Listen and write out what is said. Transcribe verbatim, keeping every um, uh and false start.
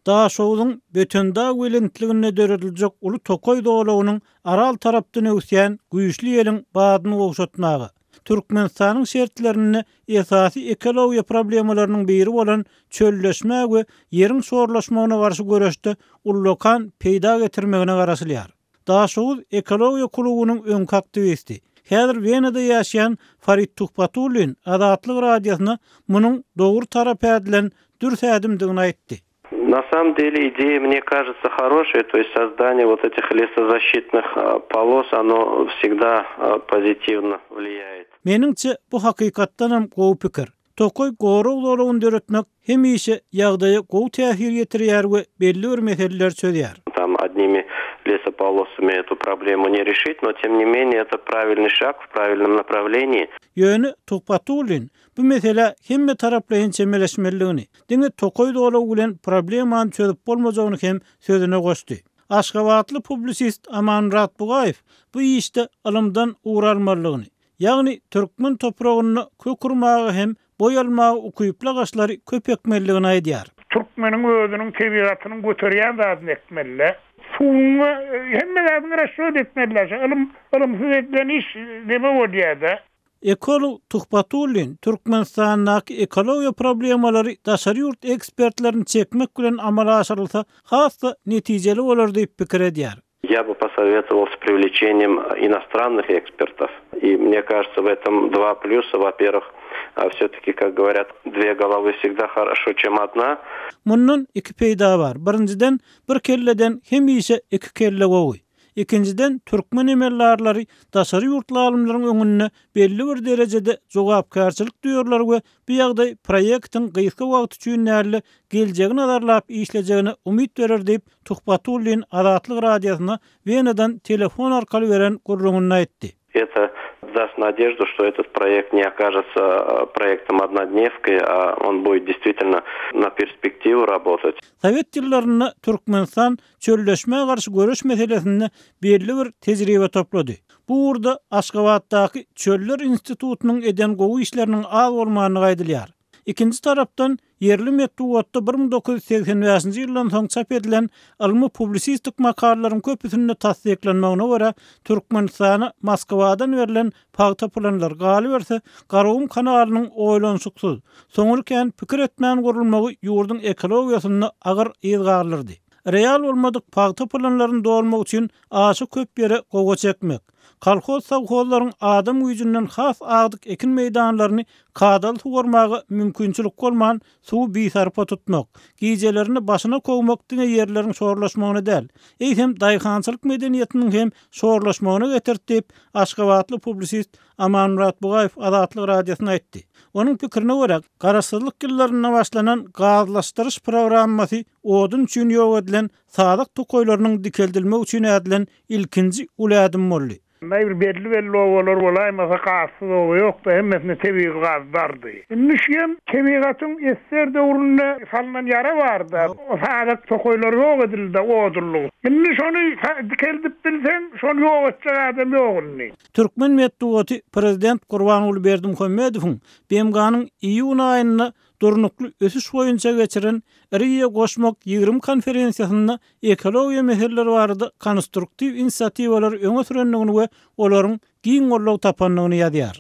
Daşoguzyň Bötendag belentliginde dörediljek uly tokaý zolagynyň Aral tarapdan öwüsýän güýçli ýeliň badyny gowşatmaga, Türkmenistanyň şertlerinde esasy ekologiýa problemalarynyň biri bolan çölleşmä we ýeriň şorlaşmagyna garşy göreşde ullakan peýda getirmegine garaşylýar. Daşoguz ekologiýa klubunyň öňki aktiwisti, häzir Wenada ýaşaýan Farid Tuhbatullin Azatlyk Radiosyna munuň dogry tarap ädilen dürs ädimdigini aýtdy. На самом деле идея, мне кажется, хорошая, то есть создание вот этих лесозащитных полос, оно всегда позитивно влияет. Meniňçe bu hakykatdanam gowy pikir. Tokaý gorag zolagyny döretmek hemişe ýagdaýa gowy täsir ýetirýär we belli bir meseleleri çözýär. Там одними лесополосами эту проблему не решить, но тем не менее это правильный шаг в правильном направлении. Ýöne Tuhbatullin bu meselä hemme taraplaýyn çemeleşmelidigini, diňe tokaý zolagy bilen problemany çözüp bolmajagyny hem sözüne goşdy. Aşgabatly publisist Amanmyrat Bugaýew bu işde ylymdan ugur almalydygyny, ýagny türkmen topragyna kök urmaga hem boý almaga ukyply agaçlary köp ekmelidigini aýdýar. Türkmeniň özüniň tebigatynyň göterýän zadyny ekmeli. Suwuňa hemme zadyny rasçot etmeli. Ylym ylymsyz edilen iş neme bolýar-da? Ekolog Tuhbatullin Türkmenistandaky ekologiýa problemalary daşary ýurt ekspertlerini çekmek bilen amala aşyrylsa has-da netijeli bolar diýip pikir edýär. Я бы посоветовал с привлечением иностранных экспертов. И мне кажется, в этом два плюса. Во-первых, все-таки, как говорят, две головы всегда хорошо, чем одна. Mundan iki peýda bar. Birinjiden bir kelleden hemişe iki kelle gowy. Ikinjiden türkmen emeldarlary daşary ýurtly alymlaryň öňünde belli bir derejede jogapkärçilik duýarlar we bu ýagdaý proýektiň gysga wagt üçin däl-de geljegini nazarlap işlejegine umyt berer diýip Tuhbatullin Azatlyk Radiosyna Wenadan telefon arkaly beren gürrüňinde aýtdy. Это даст надежду, что этот проект не окажется проектом однодневкой, а он будет действительно на перспективу работать. Sowet ýyllarynda Türkmenistan çölleşmä garşy göreş meselesinde belli bir tejribe toplady. Bu ugurda Aşgabatdaky Çöller institutynyň eden gowy işleriniň az bolmandygy aýdylýar. Ikinji tarapdan ýerli metbugatda bir müň dokuz ýüz segsen bäşinji ýyldan soň çap edilen ylmy publisistik makalalaryň köpüsinde tassyklanmagyna görä Türkmenistana Moskwadan berlen pagta planlar galyberse Garagum kanalynyň oýlanyşyksyz, soňra kän pikir etmän gurulmagy ýurduň ekologiýasynda agyr yz galdyrdy. Real bolmadyk pagta planlaryny dolmak üçin aşa köp ýere gowa çekmek, kolhoz sowhozlaryň adam güýjünden has agdyk ekin meýdanlaryny kadaly suwarmaga mümkinçilik bolman suwy bisarpa tutmak, gijelerini başyna kowmak diňe ýerleriň şorlaşmagyna däl, eýsem daýhançylyk medeniýetiniň hem şorlaşmagyna getirdi diýip Aşgabatly publisist Amanmyrat Bugaýew Azatlyk Radiosyna aýtdy. Onuň pikirine görä, garaşsyzlyk ýyllarynda başlanan gazlaşdyryş programmasy odun üçin ýok edilen sadyk tokaýlarynyň dikeldilmegi üçin ädilen ilkinji uly ädim boldy. Näbir belli belli obalar bolaýmasa gazsyz oba ýokdy, hemmesine tebigy gaz bardy. Indi şem tebigatyň esser döwründe salynan ýara bardy. O sadyk tokaýlar ýok edildi, odunlyk. Indi şony dikeldip bilseň, şony ýok etjek adam ýok indi. Türkmen metbugaty prezident Gurbanguly Berdimuhamedowyň B M G-nyň iýun aýynda durnukly ösüş boýunça geçiren Rio goşmak ýigrimi konferensiýasynda ekologiýa meseleleri barada konstruktiw inisiatiwalary öňe sürendigini we olaryň giň goldaw tapandygyny ýazýar.